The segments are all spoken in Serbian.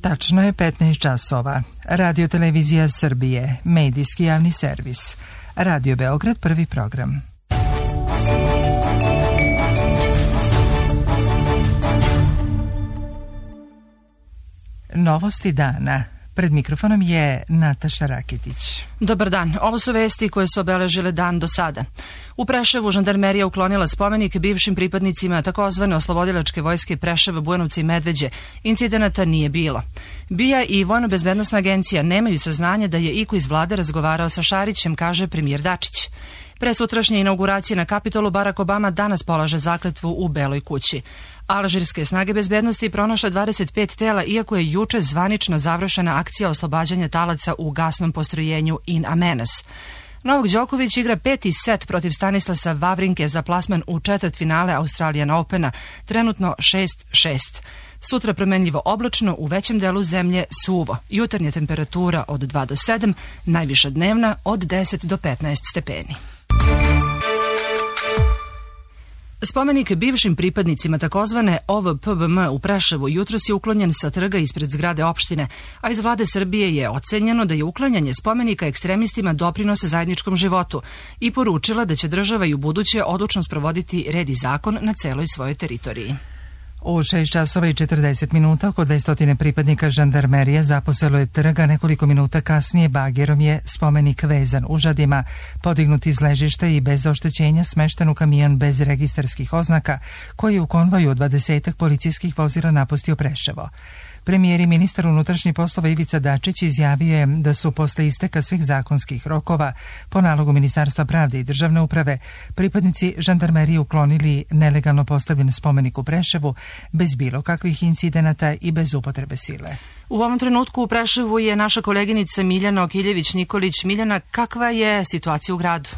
Tačno je 15 časova. Radio Televizija Srbije, medijski javni servis. Radio Beograd, prvi program. Novosti dana. Pred mikrofonom je Nataša Raketić. Dobar dan. Ovo su vesti koje su obeležile dan do sada. U Preševu žandarmerija uklonila spomenik bivšim pripadnicima takozvane oslobodilačke vojske Preševa, Bujanovca i Medveđe. Incidenata nije bilo. BIA i Vojno-bezbednosna agencija nemaju saznanja da je iko iz vlade razgovarao sa Šarićem, kaže premijer Dačić. Pre sutrašnje inauguracije na Kapitolu Barack Obama danas polaže zakletvu u Beloj kući. Alžirske snage bezbednosti pronašle 25 tela, iako je juče zvanično završena akcija oslobađanja talaca u gasnom postrojenju In Amenas. Novak Đoković igra 5. set protiv Stanislasa Wawrinke za plasman u četvrtfinale Australian Opena, trenutno 6-6. Sutra promenljivo oblačno, u većem delu zemlje suvo. Jutarnja temperatura od 2 do 7, najviša dnevna od 10 do 15 stepeni. Spomenik bivšim pripadnicima takozvane OVPBM u Preševu jutros je uklonjen sa trga ispred zgrade opštine, a iz vlade Srbije je ocenjeno da je uklanjanje spomenika ekstremistima doprinose zajedničkom životu i poručila da će država i ubuduće odlučno sprovoditi red i zakon na celoj svojoj teritoriji. U 6 časova i 40 minuta oko 200 pripadnika žandarmerije zaposelo je trga. Nekoliko minuta kasnije bagerom je spomenik vezan užadima, podignut iz ležišta i bez oštećenja smešten u kamion bez registarskih oznaka, koji je u konvoju od 20 policijskih vozila napustio Preševo. Premijer i ministar unutrašnjih poslova Ivica Dačić izjavio je da su posle isteka svih zakonskih rokova po nalogu Ministarstva pravde i državne uprave pripadnici žandarmerije uklonili nelegalno postavljen spomenik u Preševu bez bilo kakvih incidenata i bez upotrebe sile. U ovom trenutku u Preševu je naša koleginica Miljana Okiljević-Nikolić. Miljana, kakva je situacija u gradu?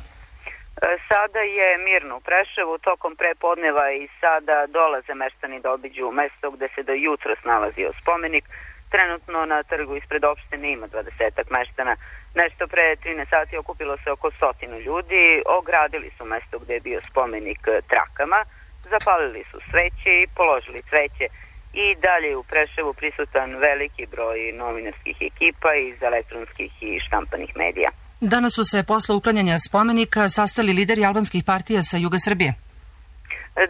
Sada je mirno u Preševu, tokom prepodneva i sada dolaze meštani da obiđu mesto gde se do jutros nalazio spomenik. Trenutno na trgu ispred opštine ima 20 meštana. Nešto pre 13 sati okupilo se oko 100 ljudi, ogradili su mesto gde je bio spomenik trakama, zapalili su sveće i položili cveće. I dalje u Preševu prisutan veliki broj novinarskih ekipa iz elektronskih i štampanih medija. Danas su se posle uklanjanja spomenika sastali lideri albanskih partija sa juga Srbije.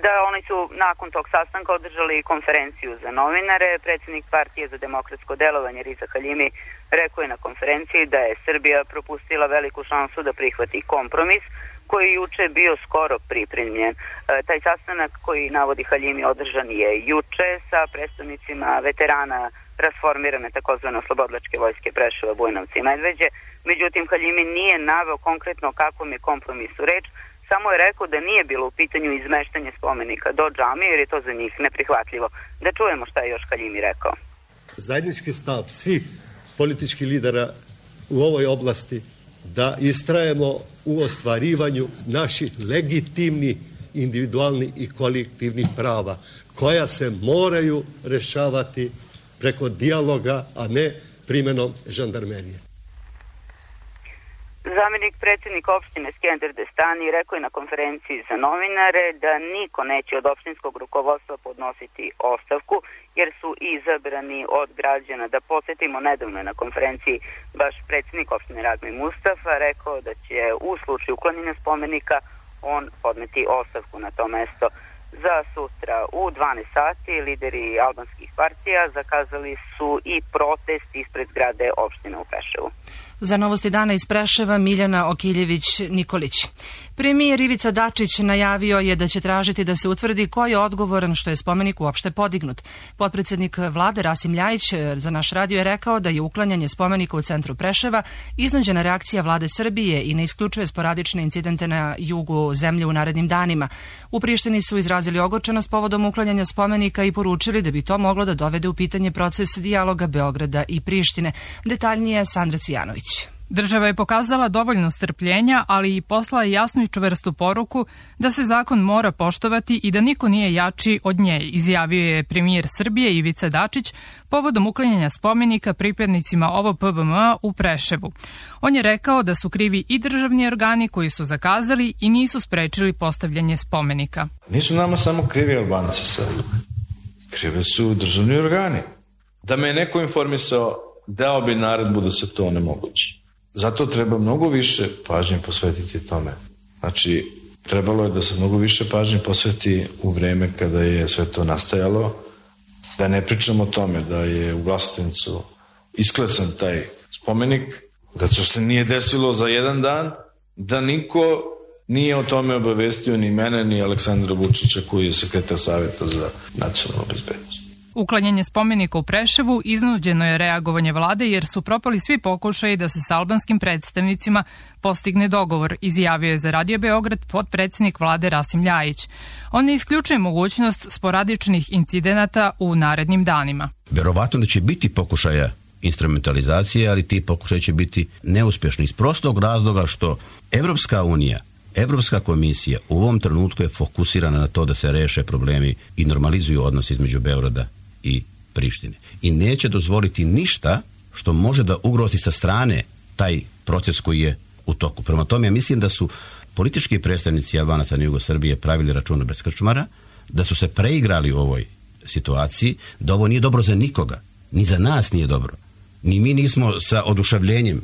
Da, oni su nakon tog sastanka održali konferenciju za novinare. Predsjednik partije za demokratsko delovanje Riza Haljimi rekao je na konferenciji da je Srbija propustila veliku šansu da prihvati kompromis koji je juče bio skoro pripremljen. Taj sastanak koji navodi Haljimi održan je juče sa predstavnicima veterana rasformirane takozvane oslobodilačke vojske Preševa, Bujanovca i Medveđe. Međutim, Haljimi nije naveo konkretno kakvom je kompromisu reč, samo je rekao da nije bilo u pitanju izmeštanje spomenika do džamije, jer je to za njih neprihvatljivo. Da čujemo šta je još Haljimi rekao. Zajednički stav svih političkih lidera u ovoj oblasti da istrajemo u ostvarivanju naših legitimnih, individualnih i kolektivnih prava, koja se moraju rešavati preko dijaloga, a ne primjenom žandarmerije. Zamjenik predsjednika opštine Skender Destani rekao je na konferenciji za novinare da niko neće od opštinskog rukovodstva podnositi ostavku, jer su izabrani od građana. Da podsjetimo, nedavno je na konferenciji baš predsjednik opštine Radmil Mustafa rekao da će u slučaju uklanjanja spomenika on podneti ostavku na to mesto. Za sutra u 12 sati lideri albanskih partija zakazali su i protest ispred zgrade opštine u Preševu. Za novosti dana iz Preševa, Miljana Okiljević-Nikolić. Premijer Ivica Dačić najavio je da će tražiti da se utvrdi ko je odgovoran što je spomenik uopšte podignut. Potpredsednik vlade Rasim Ljajić za naš radio je rekao da je uklanjanje spomenika u centru Preševa iznuđena reakcija vlade Srbije i ne isključuje sporadične incidente na jugu zemlje u narednim danima. U Prištini su izrazili ogorčenost povodom uklanjanja spomenika i poručili da bi to moglo da dovede u pitanje proces dijaloga Beograda i Prištine. Detaljnije Sandra Cvijanović. Država je pokazala dovoljno strpljenja, ali i poslala jasnu i čvrstu poruku da se zakon mora poštovati i da niko nije jači od nje, izjavio je premijer Srbije Ivica Dačić povodom uklanjanja spomenika pripadnicima OVPBM u Preševu. On je rekao da su krivi i državni organi koji su zakazali i nisu sprečili postavljanje spomenika. Nisu nama samo krivi Albanci sve. Krive su državni organi Da me je neko informisao, dao bi naredbu da se to onemogući. Zato treba mnogo više pažnje posvetiti tome. Znači, trebalo je da se mnogo više pažnje posveti u vreme kada je sve to nastajalo, da ne pričamo o tome da je u Vlasotincu isklesan taj spomenik, da to se nije desilo za jedan dan, da niko nije o tome obavestio ni mene, ni Aleksandra Vučića koji je sekretar Saveta za nacionalnu bezbednost. Uklanjanje spomenika u Preševu iznuđeno je reagovanje vlade jer su propali svi pokušaji da se s albanskim predstavnicima postigne dogovor, izjavio je za Radio Beograd potpredsednik vlade Rasim Ljajić. On ne isključuje mogućnost sporadičnih incidenata u narednim danima. Verovatno da će biti pokušaja instrumentalizacije, ali ti pokušaj će biti neuspješni iz prostog razloga što Evropska unija, Evropska komisija u ovom trenutku je fokusirana na to da se reše problemi i normalizuju odnosi između Beograda i Prištine. I neće dozvoliti ništa što može da ugrozi sa strane taj proces koji je u toku. Prema tome, ja mislim da su politički predstavnici Albanaca na jugu Srbije pravili računa bez krčmara, da su se preigrali u ovoj situaciji, da ovo nije dobro za nikoga, ni za nas nije dobro. Ni mi nismo sa oduševljenjem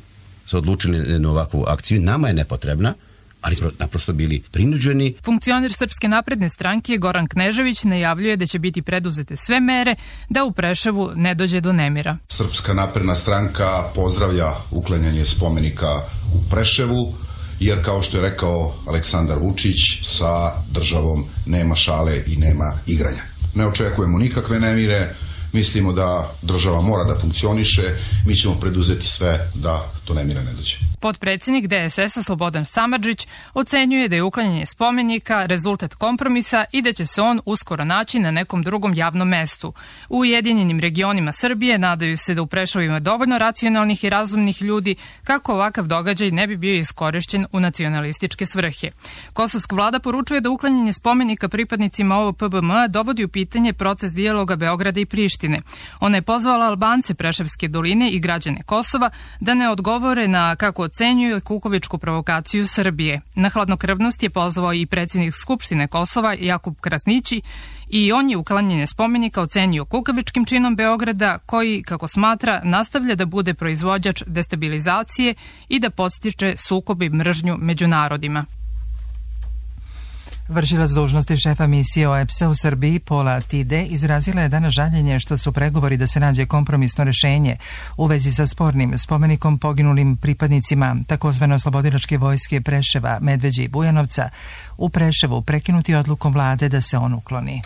se odlučili na ovakvu akciju, nama je nepotrebna, ali smo naprosto bili prinuđeni. Funkcioner Srpske napredne stranke Goran Knežević najavljuje da će biti preduzete sve mere da u Preševu ne dođe do nemira. Srpska napredna stranka pozdravlja uklanjanje spomenika u Preševu, jer kao što je rekao Aleksandar Vučić, sa državom nema šale i nema igranja. Ne očekujemo nikakve nemire, mislimo da država mora da funkcioniše, mi ćemo preduzeti sve da do nemira ne dođe. Potpredsjednik DSS-a Slobodan Samardžić ocenjuje da je uklanjanje spomenika rezultat kompromisa i da će se on uskoro naći na nekom drugom javnom mestu. U Ujedinjenim regionima Srbije nadaju se da u Preševu ima dovoljno racionalnih i razumnih ljudi kako ovakav događaj ne bi bio iskorišćen u nacionalističke svrhe. Kosovska vlada poručuje da uklanjanje spomenika pripadnicima OVPBM dovodi u pitanje proces dijaloga Beograda i Prištine. Ona je pozvala Albance Preševske doline i građane Kosova da ne odgovore na, kako ocenjuju, kukovičku provokaciju Srbije. Na hladnokrvnost je pozvao i predsjednik Skupštine Kosova Jakub Krasnići i on je uklanjanje spomenika ocenio kukavičkim činom Beograda koji, kako smatra, nastavlja da bude proizvođač destabilizacije i da podstiče sukob i mržnju među narodima. Vršilac dužnosti šefa misije OEBS-a u Srbiji Pola Tide izrazila je danas žaljenje što su pregovori da se nađe kompromisno rešenje u vezi sa spornim spomenikom poginulim pripadnicima takozvane oslobodilačke vojske Preševa, Medveđe i Bujanovca u Preševu prekinuti odlukom vlade da se on ukloni.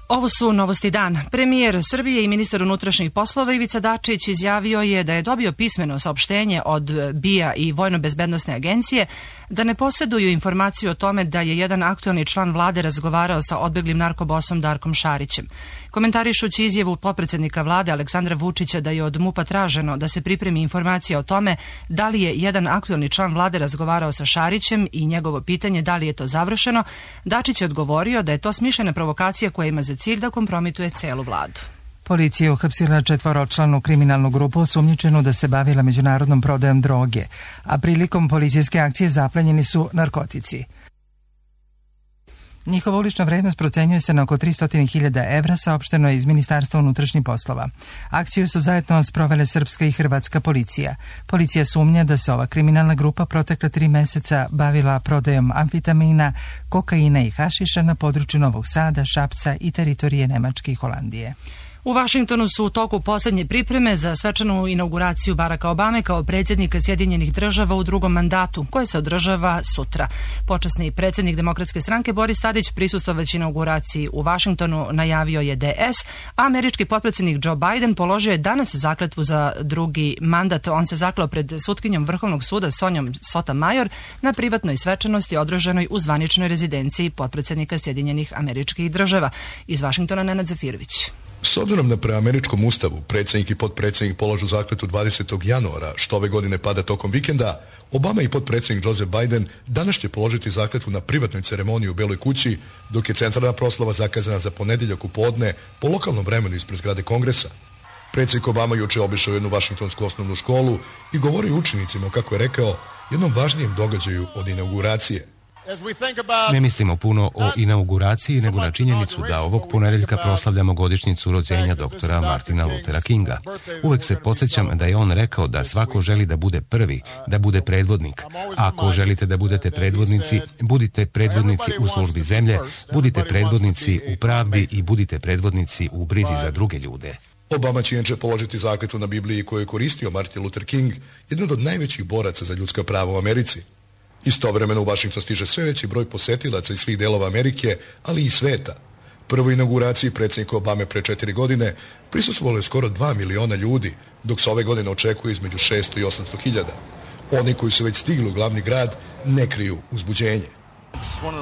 Ovo su novosti dan. Premijer Srbije i ministar unutrašnjih poslova Ivica Dačić izjavio je da je dobio pismeno saopštenje od BIA i Vojno-bezbednosne agencije da ne posjeduju informaciju o tome da je jedan aktualni član vlade razgovarao sa odbeglim narkobosom Darkom Šarićem. Komentarišući izjavu potpredsjednika vlade Aleksandra Vučića da je od MUP-a traženo da se pripremi informacija o tome da li je jedan aktualni član vlade razgovarao sa Šarićem i njegovo pitanje da li je to završeno, Dačić je odgovorio da je to smišljena provokacija koja ima za cilj da kompromituje celu vladu. Policija je uhapsila 4-članu kriminalnu grupu osumnjičenu da se bavila međunarodnom prodajom droge, a prilikom policijske akcije zaplenjeni su narkotici. Njihova ulična vrednost procenjuje se na oko 300.000 evra, saopšteno je iz Ministarstva unutrašnjih poslova. Akciju su zajedno sprovele srpska i hrvatska policija. Policija sumnja da se ova kriminalna grupa protekla 3 meseca bavila prodajom amfitamina, kokaina i hašiša na području Novog Sada, Šapca i teritorije Nemačke i Holandije. U Vašingtonu su u toku posljednje pripreme za svečanu inauguraciju Baracka Obame kao predsjednika Sjedinjenih Država u drugom mandatu, koje se održava sutra. Počasni predsjednik Demokratske stranke Boris Tadić prisustvovajući inauguraciji u Vašingtonu najavio je DS, a američki potpredsjednik Joe Biden položio je danas zakletvu za drugi mandat. On se zakleo pred sutkinjom Vrhovnog suda Sonjom Sotomayor na privatnoj svečanosti održanoj u zvaničnoj rezidenciji potpredsjednika Sjedinjenih Američkih Država. Iz Vašingtona Nenad Zafirović. S obzirom da prema američkom ustavu predsjednik i potpredsjednik polažu zakletvu 20. januara, što ove godine pada tokom vikenda, Obama i potpredsjednik Joseph Biden danas će položiti zakletvu na privatnoj ceremoniji u Beloj kući, dok je centralna proslava zakazana za ponedjeljak u podne po lokalnom vremenu ispred zgrade Kongresa. Predsjednik Obama juče obišao jednu vašingtonsku osnovnu školu i govorio učenicima, kako je rekao, jednom važnijem događaju od inauguracije. Ne mislimo puno o inauguraciji, nego na činjenicu da ovog ponedeljka proslavljamo godišnjicu rođenja doktora Martina Luthera Kinga. Uvek se podsjećam da je on rekao da svako želi da bude prvi, da bude predvodnik. Ako želite da budete predvodnici, budite predvodnici u službi zemlje, budite predvodnici u pravdi i budite predvodnici u brizi za druge ljude. Obama će inače položiti zakletvu na Bibliji koju je koristio Martin Luther King, jedan od najvećih boraca za ljudska prava u Americi. Istovremeno u Vašington stiže sve veći broj posetilaca iz svih delova Amerike, ali i sveta. Prvoj inauguraciji predsjednika Obame pre 4 godine prisustvovalo je skoro 2 miliona ljudi, dok se ove godine očekuje između 600 i 800 hiljada. Oni koji su već stigli u glavni grad ne kriju uzbuđenje.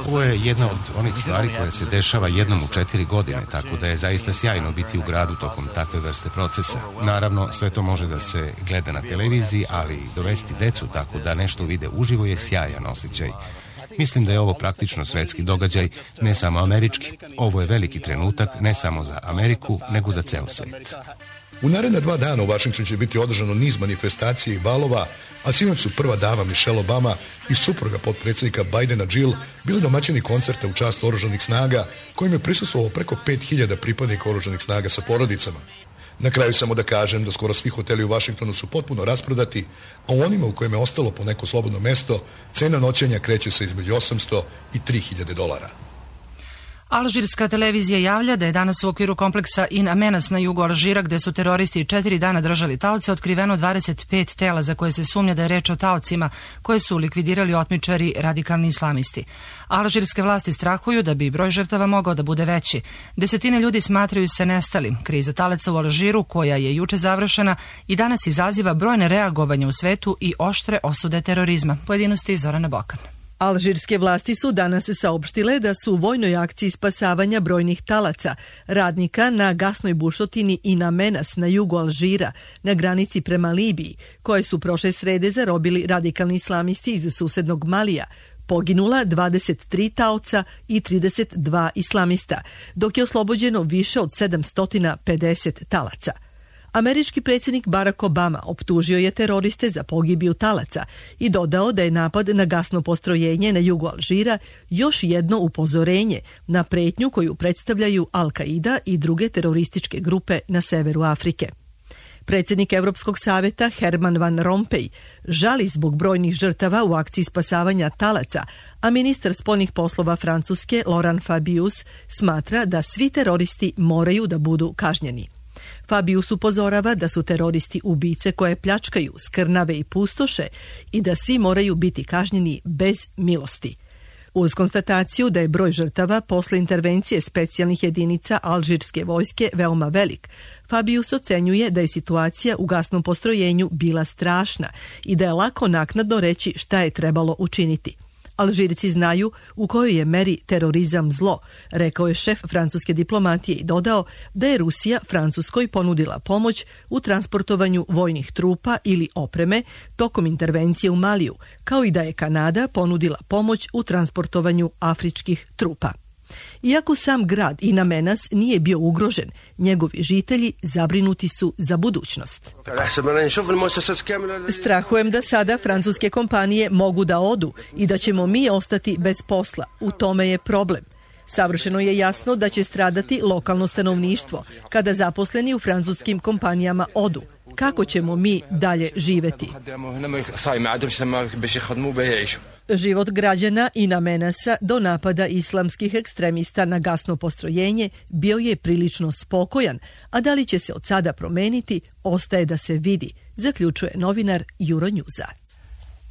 Ovo je jedna od onih stvari koja se dešava jednom u 4 godine, tako da je zaista sjajno biti u gradu tokom takve vrste procesa. Naravno, sve to može da se gleda na televiziji, ali dovesti decu tako da nešto vide uživo je sjajan osjećaj. Mislim da je ovo praktično svetski događaj, ne samo američki. Ovo je veliki trenutak ne samo za Ameriku, nego za ceo svet. U naredna 2 dana u Vašingtonu će biti održano niz manifestacija i balova, a sinoć su prva dama Michelle Obama i supruga potpredsjednika Bidena Jill bili domaćini koncerta u čast oružanih snaga, kojim je prisustvovalo preko 5000 pripadnika oružanih snaga sa porodicama. Na kraju samo da kažem da skoro svi hoteli u Vašingtonu su potpuno rasprodati, a u onima u kojima je ostalo po neko slobodno mesto, cena noćenja kreće se između $800 i $3000. Alžirska televizija javlja da je danas u okviru kompleksa In Amenas na jugu Alžira, gde su teroristi 4 dana držali taoce, otkriveno 25 tela za koje se sumnja da je reč o taocima koje su likvidirali otmičari radikalni islamisti. Alžirske vlasti strahuju da bi broj žrtava mogao da bude veći. Desetine ljudi smatraju se nestalim. Kriza talaca u Alžiru, koja je juče završena, i danas izaziva brojne reagovanje u svetu i oštre osude terorizma. Pojedinosti Zorana Bokan. Alžirske vlasti su danas saopštile da su u vojnoj akciji spasavanja brojnih talaca, radnika na gasnoj bušotini In Amenas na jugu Alžira, na granici prema Libiji, koje su prošle srede zarobili radikalni islamisti iz susednog Malija, poginula 23 taoca i 32 islamista, dok je oslobođeno više od 750 talaca. Američki predsjednik Barack Obama optužio je teroriste za pogibiju talaca i dodao da je napad na gasno postrojenje na jugu Alžira još jedno upozorenje na pretnju koju predstavljaju Al-Qaida i druge terorističke grupe na severu Afrike. Predsjednik Evropskog saveta Herman Van Rompuy žali zbog brojnih žrtava u akciji spasavanja talaca, a ministar spoljnih poslova Francuske Laurent Fabius smatra da svi teroristi moraju da budu kažnjeni. Fabius upozorava da su teroristi ubice koje pljačkaju, skrnave i pustoše i da svi moraju biti kažnjeni bez milosti. Uz konstataciju da je broj žrtava posle intervencije specijalnih jedinica alžirske vojske veoma velik, Fabius ocenjuje da je situacija u gasnom postrojenju bila strašna i da je lako naknadno reći šta je trebalo učiniti. Alžirci znaju u kojoj je meri terorizam zlo, rekao je šef francuske diplomatije i dodao da je Rusija Francuskoj ponudila pomoć u transportovanju vojnih trupa ili opreme tokom intervencije u Maliju, kao i da je Kanada ponudila pomoć u transportovanju afričkih trupa. Iako sam grad In Amenas nije bio ugrožen, njegovi žitelji zabrinuti su za budućnost. Strahujem da sada francuske kompanije mogu da odu i da ćemo mi ostati bez posla. U tome je problem. Savršeno je jasno da će stradati lokalno stanovništvo kada zaposleni u francuskim kompanijama odu. Kako ćemo mi dalje živeti? Život građana In Amenasa do napada islamskih ekstremista na gasno postrojenje bio je prilično spokojan, a da li će se od sada promeniti, ostaje da se vidi, zaključuje novinar Euronewsa.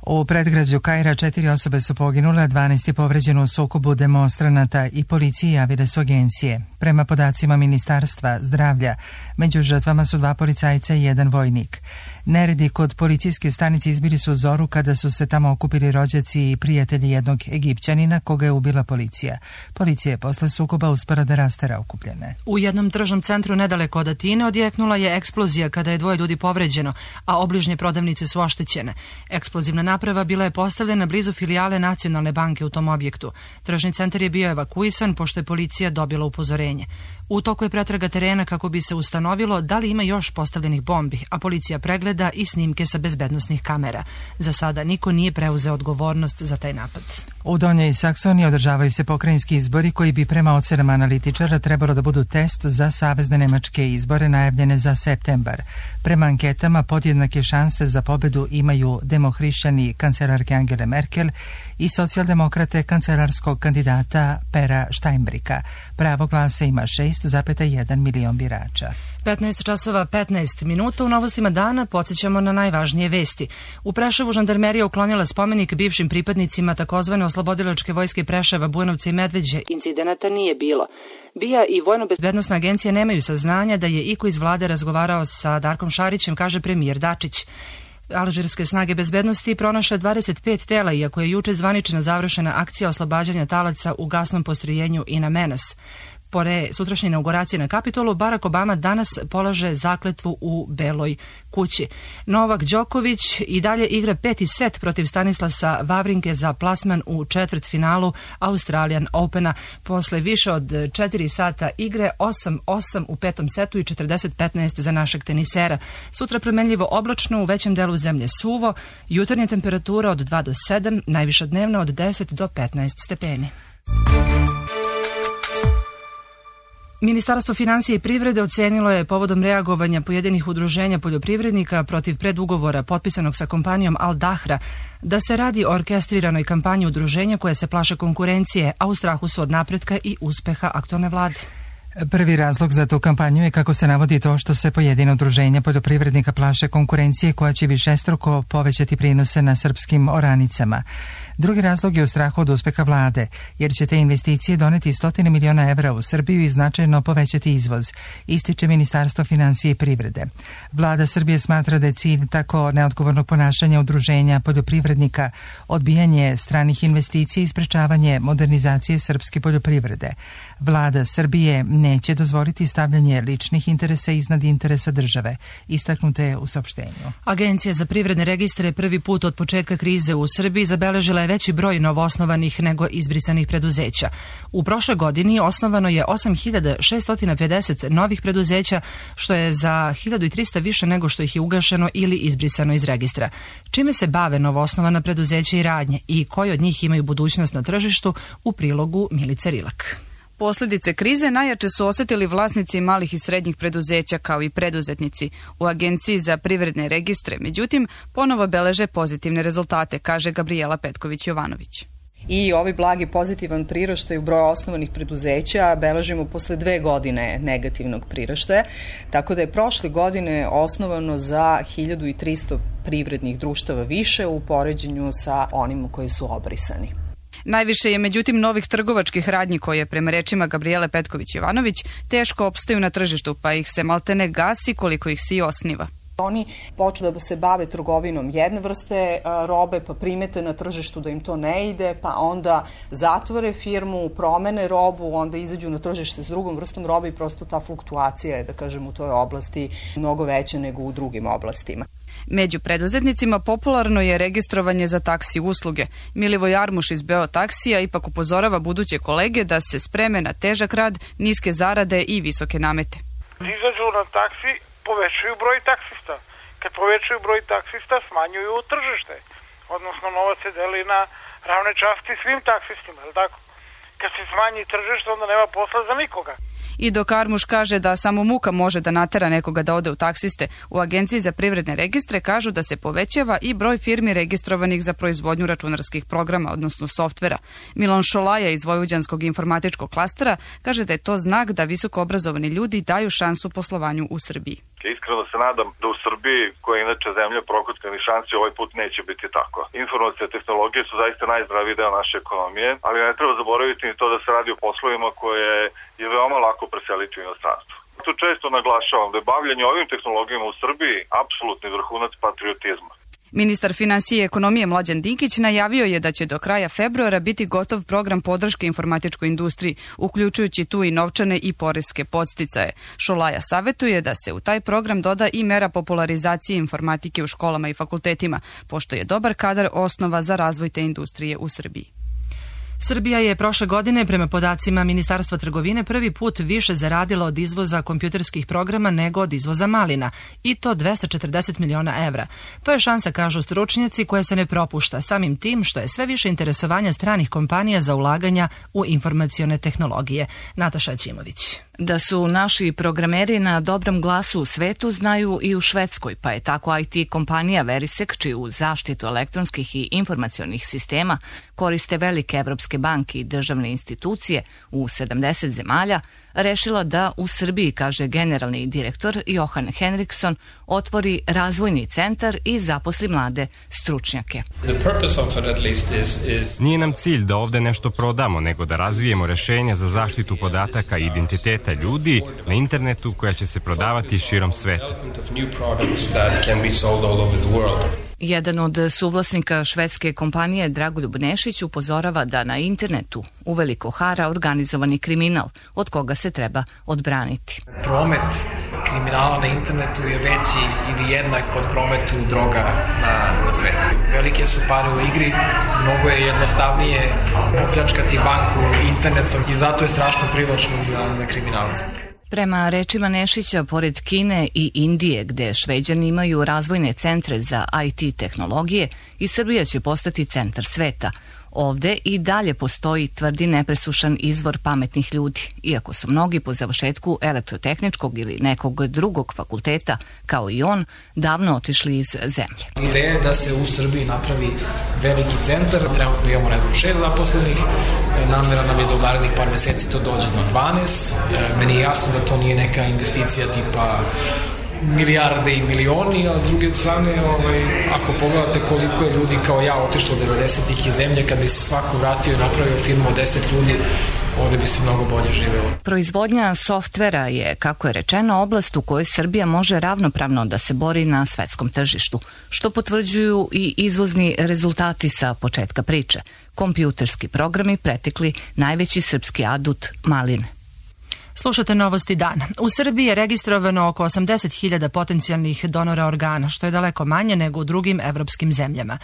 U predgrađu Kaira 4 osobe su poginule, 12 je povređeno u sukobu demonstranata i policiji, javile su agencije. Prema podacima Ministarstva zdravlja, među žrtvama su 2 policajca i 1 vojnik. Neredi kod policijske stanice izbili su zoru kada su se tamo okupili rođaci i prijatelji jednog Egipćanina koga je ubila policija. Policija je posle sukoba uspela da rastera okupljene. U jednom tržnom centru nedaleko od Atine odjeknula je eksplozija kada je 2 ljudi povređeno, a obližnje prodavnice su oštećene. Eksplozivna naprava bila je postavljena blizu filijale Nacionalne banke u tom objektu. Tržni centar je bio evakuisan pošto je policija dobila upozorenje. U toku je pretraga terena kako bi se ustanovilo da li ima još postavljenih bombi, a policija pregleda pogleda i snimke sa bezbednosnih kamera. Za sada niko nije preuzeo odgovornost za taj napad. U Donjoj Saksoniji održavaju se pokrajinski izbori koji bi prema ocenama analitičara trebalo da budu test za savezne nemačke izbore najavljene za septembar. Prema anketama podjednake šanse za pobedu imaju demohrišćani kancelarke Angele Merkel i socijaldemokrate kancelarskog kandidata Pera Steinbricka. Pravo glasa ima 6,1 milion birača. 15 časova 15 minuta u novostima dana podsjećamo na najvažnije vesti. U Preševu žandarmerija uklonila spomenik bivšim pripadnicima takozvane oslobodilačke vojske Preševa, Bujanovca i Medveđe. Incidenata nije bilo. BIA i Vojno-bezbednosna agencija nemaju saznanja da je iko iz vlade razgovarao sa Darkom Šarićem, kaže premijer Dačić. Alžirske snage bezbednosti pronašle 25 tela, iako je juče zvanično završena akcija oslobađanja talaca u gasnom postrojenju Ina Menas. Pore sutrašnje inauguracije na Kapitolu, Barack Obama danas polaže zakletvu u Beloj kući. Novak Đoković i dalje igra 5. set protiv Stanislasa Wawrinke za plasman u četvrtfinalu Australian Opena. Posle više od 4 sata igre, 8-8 u 5. setu i 40-15 za našeg tenisera. Sutra promenljivo oblačno, u većem delu zemlje suvo, jutarnja temperatura od 2 do 7, najviša dnevna od 10 do 15 stepeni. Ministarstvo finansije i privrede ocenilo je povodom reagovanja pojedinih udruženja poljoprivrednika protiv predugovora potpisanog sa kompanijom Al Dahra da se radi o orkestriranoj kampanji udruženja koje se plaše konkurencije, a u strahu su od napretka i uspeha aktualne vlade. Prvi razlog za tu kampanju je, kako se navodi, to što se pojedina udruženja poljoprivrednika plaše konkurencije koja će višestruko povećati prinose na srpskim oranicama. Drugi razlog je u strahu od uspeha vlade, jer će te investicije doneti 100 miliona evra u Srbiju i značajno povećati izvoz, ističe Ministarstvo finansije i privrede. Vlada Srbije smatra da je cilj tako neodgovornog ponašanja udruženja poljoprivrednika odbijanje stranih investicija i sprečavanje modernizacije srpske poljoprivrede. Vlada Srbije neće dozvoliti stavljanje ličnih interesa iznad interesa države, istaknuto je u saopštenju. Agencija za privredne registre prvi put od početka krize u Srbiji zabeležila je veći broj novoosnovanih nego izbrisanih preduzeća. U prošloj godini osnovano je 8650 novih preduzeća, što je za 1300 više nego što ih je ugašeno ili izbrisano iz registra. Čime se bave novoosnovana preduzeća i radnje i koji od njih imaju budućnost na tržištu, u prilogu Milice Rilak. Posljedice krize najjače su osjetili vlasnici malih i srednjih preduzeća kao i preduzetnici. U Agenciji za privredne registre, međutim, ponovo beleže pozitivne rezultate, kaže Gabriela Petković-Jovanović. I ovaj blagi pozitivan priraštaj u broju osnovanih preduzeća beležimo posle 2 godine negativnog priraštaja, tako da je prošle godine osnovano za 1300 privrednih društava više u poređenju sa onima koji su obrisani. Najviše je međutim novih trgovačkih radnji koje, prema rečima Gabriele Petković-Jovanović, teško opstaju na tržištu, pa ih se maltene gasi koliko ih se i osniva. Oni počnu da se bave trgovinom jedne vrste robe, pa primete na tržištu da im to ne ide, pa onda zatvore firmu, promene robu, onda izađu na tržište s drugom vrstom robe i prosto ta fluktuacija je, da kažem, u toj oblasti mnogo veća nego u drugim oblastima. Među preduzetnicima popularno je registrovanje za taksi usluge. Milivoj Armuš iz Beo taksija ipak upozorava buduće kolege da se spreme na težak rad, niske zarade i visoke namete. Izađu na taksi, povećaju broj taksista. Kad povećaju broj taksista, smanjuju tržište. Odnosno, novac se deli na ravne časti svim taksistima, je li tako? Kad se smanji tržište, onda nema posla za nikoga. I dok Armuš kaže da samo muka može da natera nekoga da ode u taksiste, u Agenciji za privredne registre kažu da se povećava i broj firmi registrovanih za proizvodnju računarskih programa, odnosno softvera. Milan Šolaja iz Vojvođanskog informatičkog klastera kaže da je to znak da visoko obrazovani ljudi daju šansu poslovanju u Srbiji. Iskreno se nadam da u Srbiji, koja je inače zemlja prokockanih šansi, ovaj put neće biti tako. Informacije i tehnologije su zaista najzdraviji deo naše ekonomije, ali ne treba zaboraviti ni to da se radi o poslovima koje je veoma lako preseliti u inostranstvo. Tu često naglašavam da je bavljanje ovim tehnologijama u Srbiji apsolutni vrhunac patriotizma. Ministar finansije i ekonomije Mlađan Dinkić najavio je da će do kraja februara biti gotov program podrške informatičkoj industriji, uključujući tu i novčane i poreske podsticaje. Šolaja savetuje da se u taj program doda i mera popularizacije informatike u školama i fakultetima, pošto je dobar kadar osnova za razvoj te industrije u Srbiji. Srbija je prošle godine, prema podacima Ministarstva trgovine, prvi put više zaradila od izvoza kompjuterskih programa nego od izvoza malina, i to 240 miliona evra. To je šansa, kažu stručnjaci, koja se ne propušta, samim tim što je sve više interesovanja stranih kompanija za ulaganja u informacione tehnologije. Nataša Ćimović. Da su naši programeri na dobrom glasu u svetu znaju i u Švedskoj, pa je tako IT kompanija Verisek, čiju zaštitu elektronskih i informacionih sistema koriste velike evropske banke i državne institucije u 70 zemalja, rešila da u Srbiji, kaže generalni direktor Johan Henriksson, otvori razvojni centar i zaposli mlade stručnjake. Nije nam cilj da ovde nešto prodamo, nego da razvijemo rešenja za zaštitu podataka i identiteta ljudi na internetu koja će se prodavati širom sveta. Jedan od suvlasnika švedske kompanije, Dragoljub Nešić, upozorava da na internetu uveliko hara organizovani kriminal, od koga se treba odbraniti. Promet kriminala na internetu je veći ili jednak od prometu droga na svetu. Velike su pare u igri, mnogo je jednostavnije opljačkati banku internetom i zato je strašno privlačno za kriminalce. Prema rečima Nešića, pored Kine i Indije, gde Šveđani imaju razvojne centre za IT tehnologije, i Srbija će postati centar sveta. Ovde i dalje postoji, tvrdi, nepresušan izvor pametnih ljudi, iako su mnogi po završetku elektrotehničkog ili nekog drugog fakulteta, kao i on, davno otišli iz zemlje. Ideja je da se u Srbiji napravi veliki centar, trenutno imamo 6 zaposlenih, namera nam je da u narednih par meseci to dođe na 12, meni je jasno da to nije neka investicija tipa milijarde i milioni, a s druge strane, ako pogledate koliko je ljudi kao ja otišlo 90-ih iz zemlje, kad bi se svako vratio i napravio firmu od 10 ljudi, ovde bi se mnogo bolje živelo. Proizvodnja softvera je, kako je rečeno, oblast u kojoj Srbija može ravnopravno da se bori na svetskom tržištu, što potvrđuju i izvozni rezultati sa početka priče. Kompjuterski programi pretekli najveći srpski adut maline. Slušate Novosti dana. U Srbiji je registrovano oko 80.000 potencijalnih donora organa, što je daleko manje nego u drugim evropskim zemljama.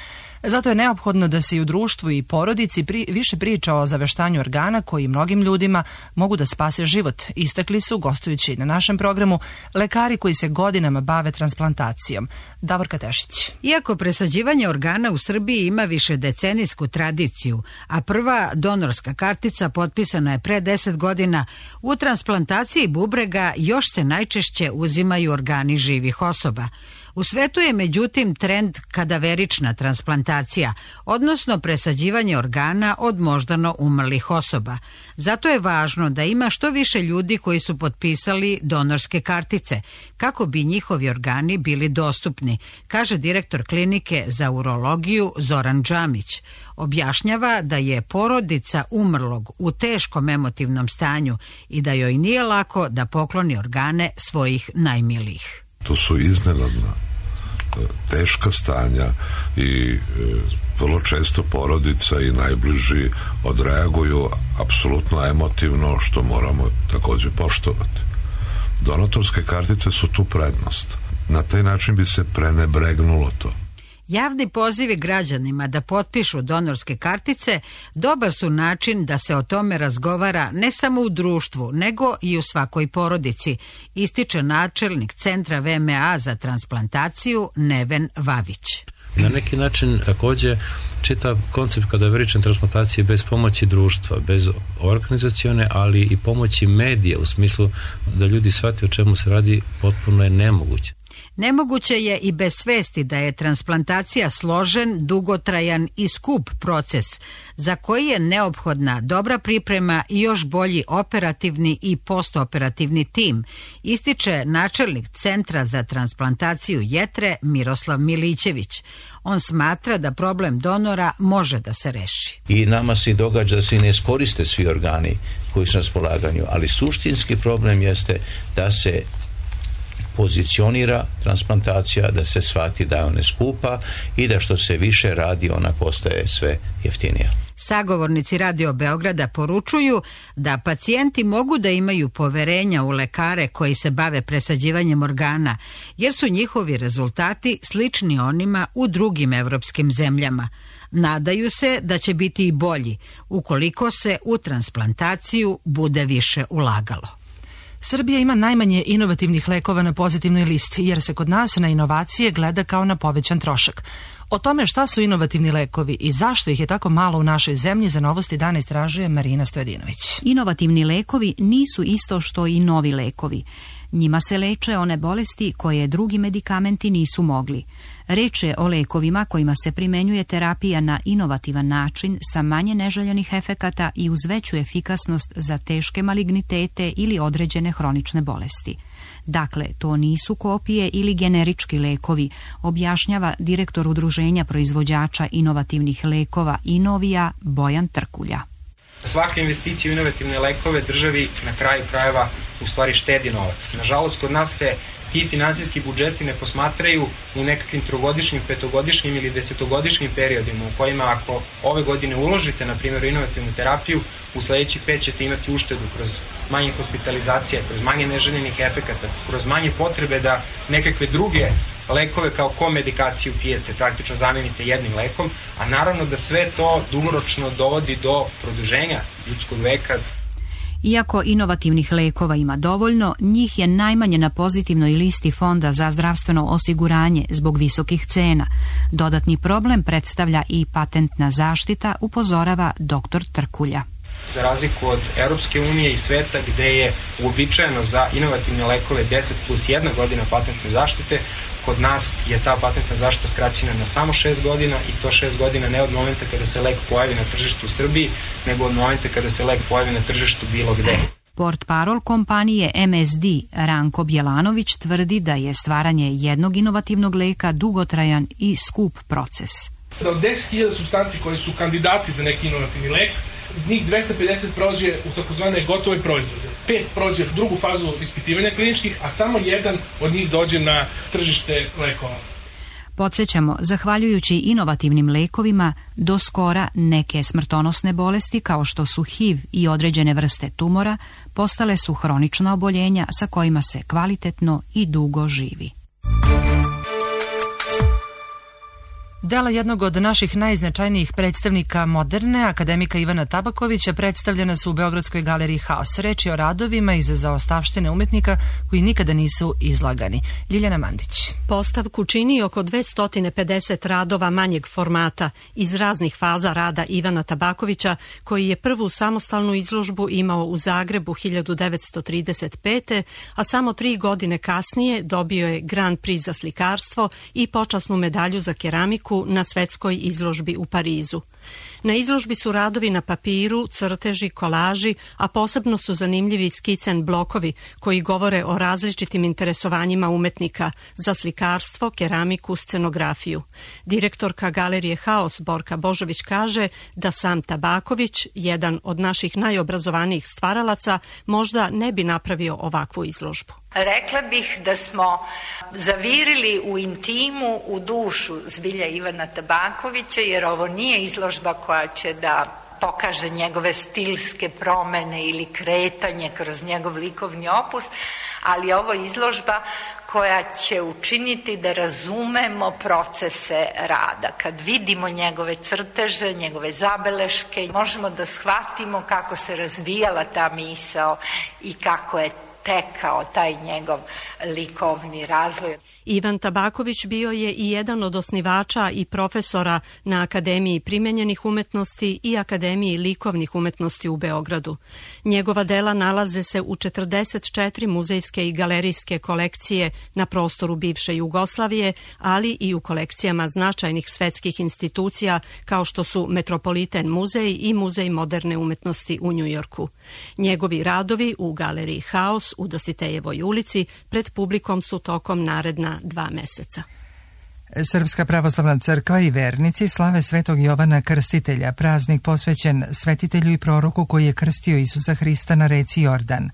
Zato je neophodno da se i u društvu i porodici više priča o zaveštanju organa koji mnogim ljudima mogu da spase život, istakli su, gostujući na našem programu, lekari koji se godinama bave transplantacijom. Davorka Tešić. Iako presađivanje organa u Srbiji ima višedecenijsku tradiciju, a prva donorska kartica potpisana je pre 10 godina, u transplantaciji bubrega još se najčešće uzimaju organi živih osoba. U svetu je međutim trend kadaverična transplantacija, odnosno presađivanje organa od moždano umrlih osoba. Zato je važno da ima što više ljudi koji su potpisali donorske kartice, kako bi njihovi organi bili dostupni, kaže direktor klinike za urologiju Zoran Džamić. Objašnjava da je porodica umrlog u teškom emotivnom stanju i da joj nije lako da pokloni organe svojih najmilijih. To su iznenadna, teška stanja i vrlo često porodica i najbliži odreaguju apsolutno emotivno, što moramo takođe poštovati. Donatorske kartice su tu prednost. Na taj način bi se prenebregnulo to. Javni pozivi građanima da potpišu donorske kartice dobar su način da se o tome razgovara ne samo u društvu, nego i u svakoj porodici, ističe načelnik Centra VMA za transplantaciju Neven Vavić. Na neki način takođe čitav koncept kadaverične transplantacije bez pomoći društva, bez organizacione, ali i pomoći medija u smislu da ljudi shvate o čemu se radi, potpuno je nemoguće. Nemoguće je i bez svesti da je transplantacija složen, dugotrajan i skup proces za koji je neophodna dobra priprema i još bolji operativni i postoperativni tim, ističe načelnik Centra za transplantaciju jetre Miroslav Milićević. On smatra da problem donora može da se reši. I nama se događa da se ne iskoriste svi organi koji su na raspolaganju, ali suštinski problem jeste da se pozicionira transplantacija, da se shvati da je ona skupa i da što se više radi ona postaje sve jeftinija. Sagovornici Radio Beograda poručuju da pacijenti mogu da imaju poverenja u lekare koji se bave presađivanjem organa, jer su njihovi rezultati slični onima u drugim evropskim zemljama. Nadaju se da će biti i bolji ukoliko se u transplantaciju bude više ulagalo. Srbija ima najmanje inovativnih lekova na pozitivnoj listi, jer se kod nas na inovacije gleda kao na povećan trošak. O tome šta su inovativni lekovi i zašto ih je tako malo u našoj zemlji za Novosti dana istražuje Marina Stojadinović. Inovativni lekovi nisu isto što i novi lekovi. Njima se leče one bolesti koje drugi medikamenti nisu mogli. Reč je o lekovima kojima se primenjuje terapija na inovativan način sa manje neželjenih efekata i uz veću efikasnost za teške malignitete ili određene hronične bolesti. Dakle, to nisu kopije ili generički lekovi, objašnjava direktor Udruženja proizvođača inovativnih lekova Inovija Bojan Trkulja. Svaka investicija u inovativne lekove državi na kraju krajeva u stvari štedi novac. Nažalost, kod nas se ti finansijski budžeti ne posmatraju u nekakvim trogodišnjim, petogodišnjim ili desetogodišnjim periodima u kojima ako ove godine uložite, na primjer, u inovativnu terapiju, u sledećih 5 ćete imati uštedu kroz manje hospitalizacije, kroz manje neželjenih efekata, kroz manje potrebe da nekakve druge lekove kao komedikaciju pijete, praktično zamenite jednim lekom, a naravno da sve to dugoročno dovodi do produženja ljudskog veka. Iako inovativnih lekova ima dovoljno, njih je najmanje na pozitivnoj listi Fonda za zdravstveno osiguranje zbog visokih cena. Dodatni problem predstavlja i patentna zaštita, upozorava dr. Trkulja. Za razliku od Europske unije i sveta gde je uobičajeno za inovativne lekove 10+1 godina patentne zaštite, kod nas je ta patentna zaštita skraćena na samo 6 godina i to 6 godina ne od momenta kada se lek pojavi na tržištu u Srbiji, nego od momenta kada se lek pojavi na tržištu bilo gde. Portparol kompanije MSD Ranko Bjelanović tvrdi da je stvaranje jednog inovativnog leka dugotrajan i skup proces. Od 10.000 supstanci koji su kandidati za neki inovativni lek, njih 250 prođe u takozvane gotove proizvode. 5 prođe drugu fazu ispitivanja kliničkih, a samo jedan od njih dođe na tržište lekova. Podsjećamo, zahvaljujući inovativnim lekovima, do skora neke smrtonosne bolesti kao što su HIV i određene vrste tumora postale su hronična oboljenja sa kojima se kvalitetno i dugo živi. Dela jednog od naših najznačajnijih predstavnika moderne, akademika Ivana Tabakovića, predstavljena su u Beogradskoj galeriji Haos. Reč je o radovima iz zaostavštine umetnika koji nikada nisu izlagani. Ljiljana Mandić. Postavku čini oko 250 radova manjeg formata iz raznih faza rada Ivana Tabakovića, koji je prvu samostalnu izložbu imao u Zagrebu 1935. a samo 3 godine kasnije dobio je Grand Prix za slikarstvo i počasnu medalju za keramiku na svetskoj izložbi u Parizu. Na izložbi su radovi na papiru, crteži, kolaži, a posebno su zanimljivi skicen blokovi koji govore o različitim interesovanjima umetnika za slikarstvo, keramiku, scenografiju. Direktorka galerije Haos Borka Božović kaže da sam Tabaković, jedan od naših najobrazovanijih stvaralaca, možda ne bi napravio ovakvu izložbu. Rekla bih da smo zavirili u intimu, u dušu zbilja Ivana Tabakovića, jer ovo nije izložba koja će da pokaže njegove stilske promene ili kretanje kroz njegov likovni opus, ali ovo je izložba koja će učiniti da razumemo procese rada. Kad vidimo njegove crteže, njegove zabeleške, možemo da shvatimo kako se razvijala ta misao i kako je tekao taj njegov likovni razvoj. Ivan Tabaković bio je i jedan od osnivača i profesora na Akademiji primenjenih umetnosti i Akademiji likovnih umetnosti u Beogradu. Njegova dela nalaze se u 44 muzejske i galerijske kolekcije na prostoru bivše Jugoslavije, ali i u kolekcijama značajnih svetskih institucija kao što su Metropolitan muzej i Muzej moderne umetnosti u Njujorku. Njegovi radovi u galeriji Haos u Dositejevoj ulici pred publikom su tokom naredna 2 meseca. Srpska pravoslavna crkva i vernici slave Svetog Jovana Krstitelja, praznik posvećen svetitelju i proroku koji je krstio Isusa Hrista na reci Jordan.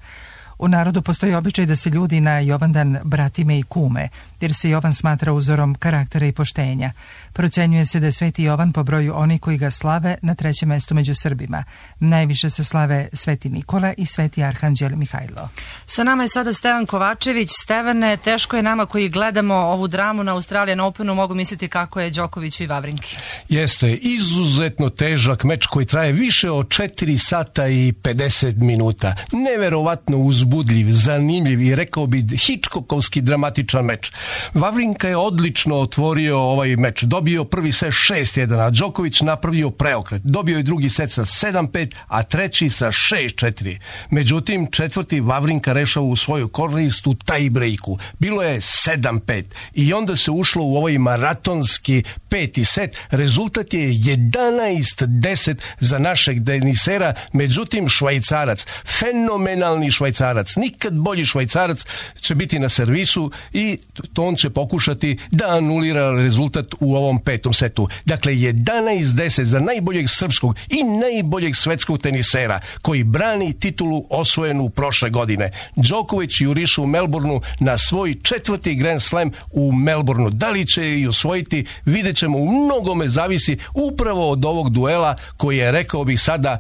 U narodu postoji običaj da se ljudi na Jovandan bratime i kume, jer se Jovan smatra uzorom karaktera i poštenja. Procenjuje se da je Sveti Jovan po broju oni koji ga slave na 3. mestu među Srbima. Najviše se slave Sveti Nikola i Sveti Arhanđel Mihajlo. Sa nama je sada Stevan Kovačević. Stevane, teško je nama koji gledamo ovu dramu na Australian Openu, mogu misliti kako je Đokoviću i Vavrinki. Jeste, izuzetno težak meč koji traje više od 4 sata i 50 minuta. Neverovatno uzbudljiv, zanimljiv i rekao bi Hitchcockovski dramatičan meč. Vavrinka je odlično otvorio ovaj meč. Dobio prvi set 6-1, a Đoković napravio preokret. Dobio je drugi set sa 7-5, a treći sa 6-4. Međutim, četvrti Vavrinka rešava u svoju korist u tie-breaku. Bilo je 7-5 i onda se ušlo u ovaj maratonski 5. set. Rezultat je 11-10 za našeg tenisera, međutim Švajcarac, fenomenalni Švajcarac, nikad bolji Švajcarac će biti na servisu i on će pokušati da anulira rezultat u ovom 5. setu. Dakle, 11-10 za najboljeg srpskog i najboljeg svetskog tenisera koji brani titulu osvojenu prošle godine. Đoković juriše u Melbourneu na svoj 4. Grand Slam u Melbourneu. Da li će i osvojiti, vidjet ćemo, u mnogome zavisi upravo od ovog duela koji je, rekao bih sada,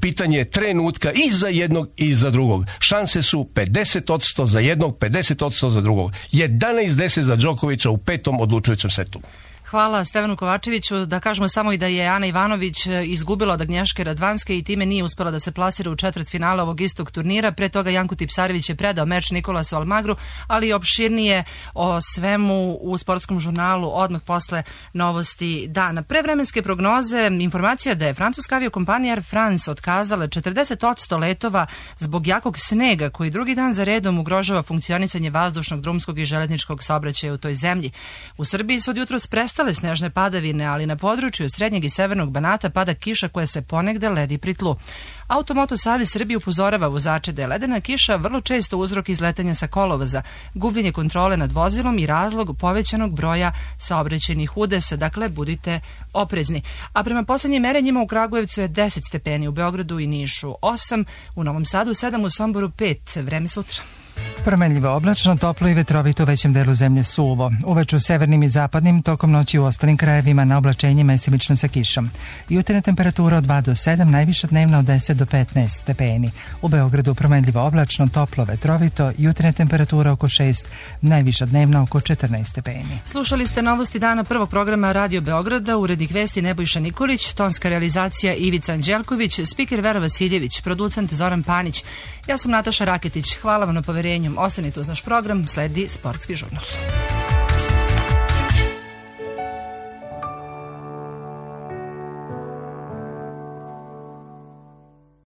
pitanje trenutka i za jednog i za drugog. Šanse su 50% za jednog, 50% za drugog. 11-10 za Đokovića u 5. odlučujućem setu. Hvala Stevanu Kovačeviću. Da kažemo samo i da je Ana Ivanović izgubila od Agnješke Radvanske i time nije uspela da se plasira u četvrtfinale ovog istog turnira. Pre toga Janko Tipsarević je predao meč Nikolasu Almagru, ali opširnije o svemu u sportskom žurnalu odmah posle novosti dana. Pre vremenske prognoze informacija da je francuska aviokompanija Air France otkazala 40% letova zbog jakog snega koji drugi dan za redom ugrožava funkcionisanje vazdušnog, drumskog i železničkog saobraćaja u toj zemlji. U Srbiji su od jutros prestale snežne padavine, ali na području srednjeg i severnog Banata pada kiša koja se ponegde ledi pri tlu. Automoto Savez Srbije upozorava vozače da je ledena kiša vrlo često uzrok izletanja sa kolovoza, gubljenje kontrole nad vozilom i razlog povećanog broja saobraćajnih udesa, dakle budite oprezni. A prema poslednjim merenjima u Kragujevcu je 10 stepeni, u Beogradu i Nišu 8, u Novom Sadu 7, u Somboru 5. Vreme sutra. Promenljivo oblačno, toplo i vetrovito u većem delu zemlje suvo. Uveče u severnim i zapadnim, tokom noći u ostalim krajevima na oblačenje mesimično sa kišom. Jutarnja temperatura od 2 do 7, najviša dnevna od 10 do 15 stepeni. U Beogradu promenljivo oblačno, toplo, vetrovito, jutarnja temperatura oko 6, najviša dnevna oko 14 stepeni. Slušali ste novosti dana prvog programa Radio Beograda, urednik vesti Nebojša Nikolić, tonska realizacija Ivica Anđelković, spiker Vera Vasiljević, producent Zoran Panić. Ja sam Nataša Raketić. Hvala vam na poverenju. Ostanite uz naš program, sledi Sportski žurnal.